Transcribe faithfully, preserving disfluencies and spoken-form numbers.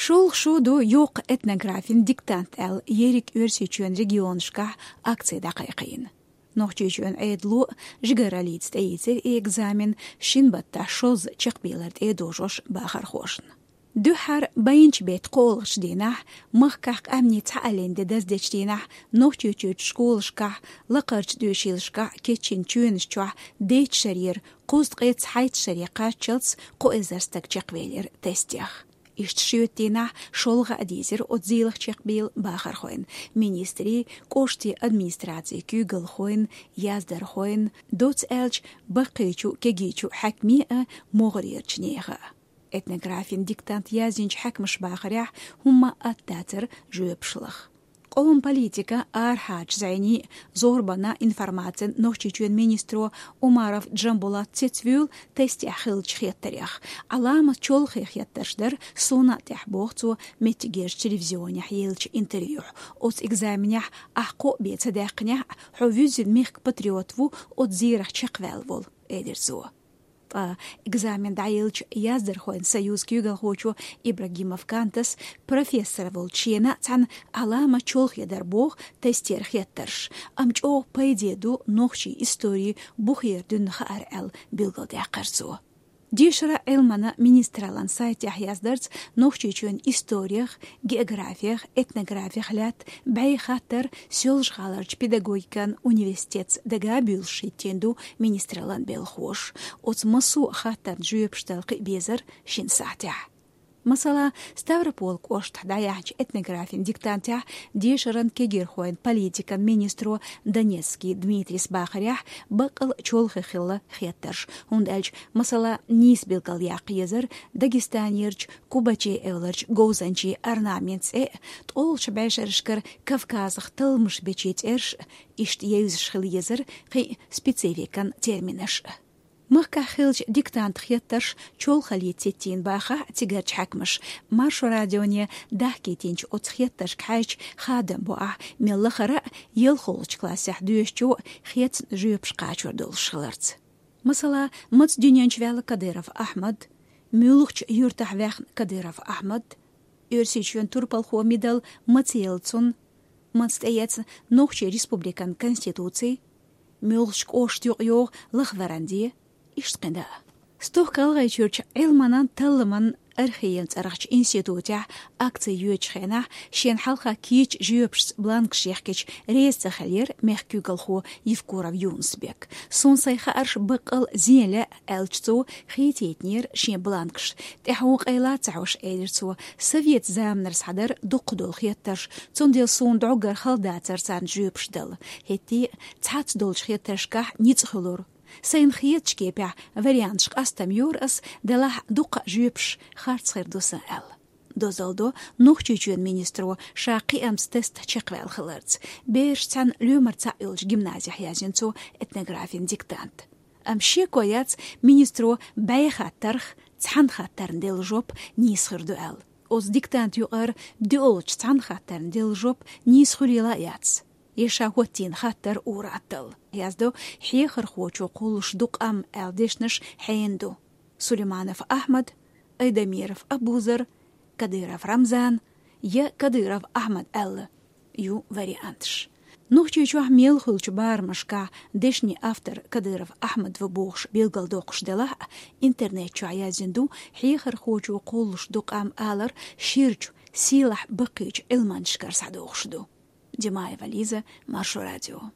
ШолгӀа шу ду йоккха этнографин диктант аьлла ерриг Оьрсийчоьнан регионашкахь акци дӀакхайкхийна. Нохчийчоьнан Ӏедало жигараллица тӀеийцира и экзамен шин баттахь шозза чекхбийлар тӀе а дожош бахархошна. Дуьххьара байначу беттан кхоалгӀачу дийнахь, махкахь къаьмнийн цхьааллин де даздечу дийнахь, Нохчийчуьрчу школашкахь, лакхарчу доьшийлашкахь кечйина чоьнаш чохь дейтта шарера кхузткъе цхьайтта шаре кхаччалц кхо эзар стаг чекхвелира тестех. Иштта шоьтан дийнахь шолгӀа а дийзира оцу зийлахь чекхбийла бахархойн, министрийн, кӀоштийн администрацийн куьйгалхойн, яздархойн, доцца аьлча, баккхийчу, кегийчу хьаькамийн а, могӀарерчу нехан а. Этнографин диктант язйинчу хьаькамаша бахарехь, хӀумма а атта дацара жоьпаш лаха. Къоман политикан, арахьарчу зӀенийн, зорбанан, информацин, Нохчийчоьнан министро Умаров Джамбулат цецвуьйлу тестехь хиллачу хеттарех. Ӏаламат чолхе хеттарш дара суна а тӀехь, боху цо меттигерчу телевизионехь еллачу интервьюхь. Оцу экзаменехь ахь кхоъ бен ца даьккхинехь а, хьо вуьззина мехкан патриот ву, оцу зерах чекхваьлла волу, элира цо. Ткъа экзамен дӀаеллачу яздархойн союзан куьйгалхочо Ибрагимов Кантас профессор волчу шена а цхьаьна Ӏаламат чолхе дара боху тестера хеттарш, амма чӀогӀа пайде ду нохчийн историн бухера дуьйна хаар аьлла билгалдаьккхира цо. Дешаран а, Ӏилманан а министраллин сайтехь яздарца, Нохчийчоьнан исторех, географех, этнографех лаьтта бӀе хаттар Соьлжа-ГӀаларчу педагогикан университетца дагабуьйлуш хӀиттийна ду министраллин белхахоша. Оцу массо а хаттарна жоьпаш дала кхиа безара шина сахьтехь. Масала, Ставрополь кӀоштахь дӀаяьхьначу этнографин диктантехь дешаран, кегирхойн политикан министро Донецкий Дмитрис бахарехь, баккъал а чолхе хилла хеттарш, хӀунда аьлча, масала, нийса билгалъяккха езара Дагестанерчу Кубачи эвларчу говзанчийн орнаментан цӀе а, ткъолгӀачу бӀешерашкара Кавказах талламаш бечийн цӀерш а, иштта евзаш хила езара кхин а спецификан терминаш а. Махкахь хиллачу диктантан хеттарш чолхаллица хӀиттийна бахахь а цигарчу хьаькамаша, Маршо радионе дахкийтинчу оцу хеттаршка хьаьжча хадам бо ахь, мел лахара а ялхолгӀачу классехь доьшучо хецна жоьпаш кхачор долуш хиларца. Масала, маца дуьнен чу ваьлла Кадыров Ахьмад, муьлхачу юьртахь ваьхна Кадыров Ахьмад, Оьрсийчоьнан турпалхо мила дара, маца елла цунна, маца тӀеэцна Нохчийн Республикан Конституци, муьлхачу кӀоштан юкъа йогӀу лахваран де, иштта кхин дӀа а. Стохка ГӀалгӀайчуьрчу Ӏилманан, талламан, архееван цӀарахчу институтехь акци йоьдучу хенахь шена хьалха кийча жоьпашца бланкаш яхкича реза ца хиллера мехкан куьйгалхо Евкуров Юнус-Бек. «Суна сайн хаарш баккъал а зен лаьа», — аьлча, цо хийтийтинера шен бланкаш. «ТӀаьхьо къайла ца хьош», — элира цо, — «совет заманара схьадара дукхах долу хеттарш, цундела суна дӀоггара хала дацара царна жоьпаш дала. ХӀетте а цхьацца долчу хеттаршкахь ницкъ хуьлура. Сайна хетачу кепехь варианташ къастам йора ас, делахь дуккха а жоьпаш харц хир ду сан», — аьлла. Дозалла до Нохчийчоьнан министро ша кхиамца тест чекхваьлла хиларца. Бераш цхьаьна лоьмар цхьаъ йолчу гимназехь язйина цо этнографин диктант. Амма шеко яц, министро бӀе хаттарх цхьана хаттарна делла жоп нийса хир ду аьлла. Оцу диктанта юкъара доьалгӀачу цхьана хаттарна делла жоп нийса хуьлийла а яц. Я ша хӀоттийна хаттар ур-атталла, яздо «Хьехархочо кхуллуш ду къам» аьлла дешнаш хьенан ду. Сулейманов Ахьмад, Айдамиров Абузар, Кадыров Рамзан я Кадыров Ахьмад аьлла ю варианташ. Нохчийчохь мел хуьлучу барамашкахь дешнийн автор Кадыров Ахьмад ву бохуш билгалдоккхуш делахь а, интернет чохь язйина ду «Хьехархочо кхуллуш ду къам» алар ширачу, сийлахь баккхийчу Ӏилманчашкара схьадогӀуш ду. Димаева Лиза, Маршо радио.